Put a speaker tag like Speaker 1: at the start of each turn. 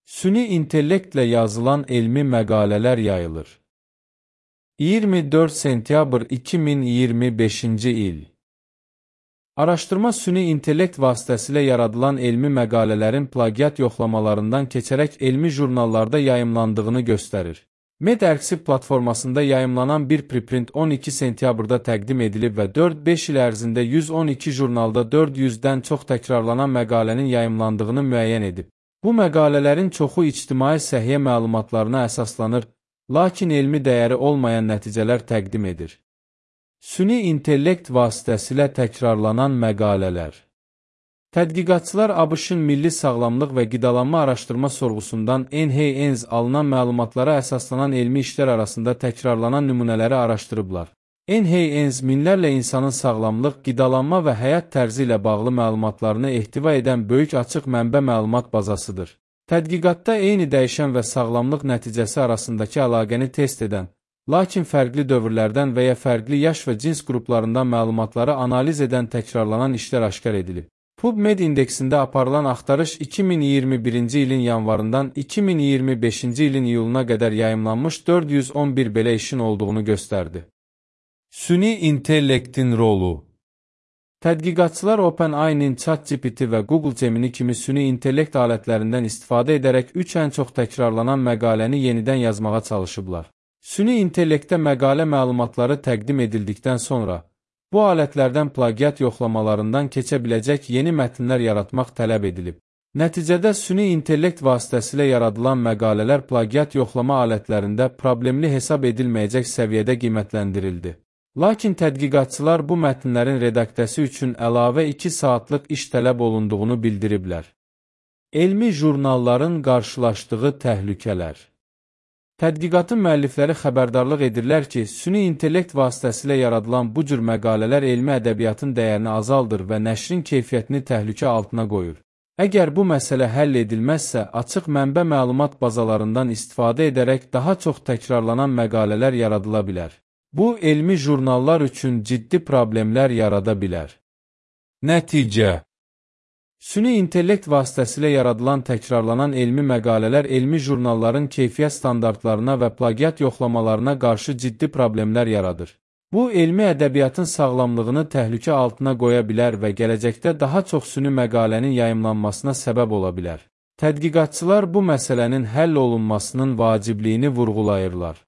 Speaker 1: Süni intellektlə yazılan elmi məqalələr yayılır. 24 sentyabr 2025-ci il. Araşdırma süni intellekt vasitəsilə yaradılan elmi məqalələrin plagiat yoxlamalarından keçərək elmi jurnallarda yayımlandığını göstərir. MedArxiv platformasında yayımlanan bir preprint 12 sentyabrda təqdim edilib və 4-5 il ərzində 112 jurnalda 400-dən çox təkrarlanan məqalənin yayımlandığını müəyyən edib. Bu məqalələrin çoxu ictimai səhiyyə məlumatlarına əsaslanır, lakin elmi dəyəri olmayan nəticələr təqdim edir. Süni intellekt vasitəsilə təkrarlanan məqalələr. Tədqiqatçılar ABŞ-ın Milli Sağlamlıq və Qidalanma Araşdırma Sorğusundan NHANES alınan məlumatlara əsaslanan elmi işlər arasında təkrarlanan nümunələri araşdırıblar. NHANES minlərlə insanın sağlamlıq, qidalanma və həyat tərzi ilə bağlı məlumatlarını ehtiva edən böyük açıq mənbə məlumat bazasıdır. Tədqiqatda eyni dəyişən və sağlamlıq nəticəsi arasındakı əlaqəni test edən, lakin fərqli dövrlərdən və ya fərqli yaş və cins qruplarından məlumatları analiz edən təkrarlanan işlər aşkar edilib. PubMed indeksində aparılan axtarış 2021-ci ilin yanvarından 2025-ci ilin iyuluna qədər yayımlanmış 411 belə işin olduğunu göstərdi. Süni intellektin rolu. Tədqiqatçılar OpenAI-nin ChatGPT və Google Gemini kimi süni intellekt alətlərindən istifadə edərək 3 ən çox təkrarlanan məqaləni yenidən yazmağa çalışıblar. Süni intellektə məqalə məlumatları təqdim edildikdən sonra, bu alətlərdən plagiat yoxlamalarından keçə biləcək yeni mətnlər yaratmaq tələb edilib. Nəticədə süni intellekt vasitəsilə yaradılan məqalələr plagiat yoxlama alətlərində problemli hesab edilməyəcək səviyyədə qiymətləndirildi. Lakin tədqiqatçılar bu mətnlərin redaksiyası üçün əlavə 2 saatlıq iş tələb olunduğunu bildiriblər. Elmi jurnalların qarşılaşdığı təhlükələr. Tədqiqatın müəllifləri xəbərdarlıq edirlər ki, süni intellekt vasitəsilə yaradılan bu cür məqalələr elmi ədəbiyyatın dəyərini azaldır və nəşrin keyfiyyətini təhlükə altına qoyur. Əgər bu məsələ həll edilməzsə, açıq mənbə məlumat bazalarından istifadə edərək daha çox təkrarlanan məqalələr yaradıla bilər. Bu, elmi jurnallar üçün ciddi problemlər yarada bilər. Nəticə. Süni intellekt vasitəsilə yaradılan təkrarlanan elmi məqalələr elmi jurnalların keyfiyyət standartlarına və plagiat yoxlamalarına qarşı ciddi problemlər yaradır. Bu, elmi ədəbiyyatın sağlamlığını təhlükə altına qoya bilər və gələcəkdə daha çox süni məqalənin yayımlanmasına səbəb ola bilər. Tədqiqatçılar bu məsələnin həll olunmasının vacibliyini vurğulayırlar.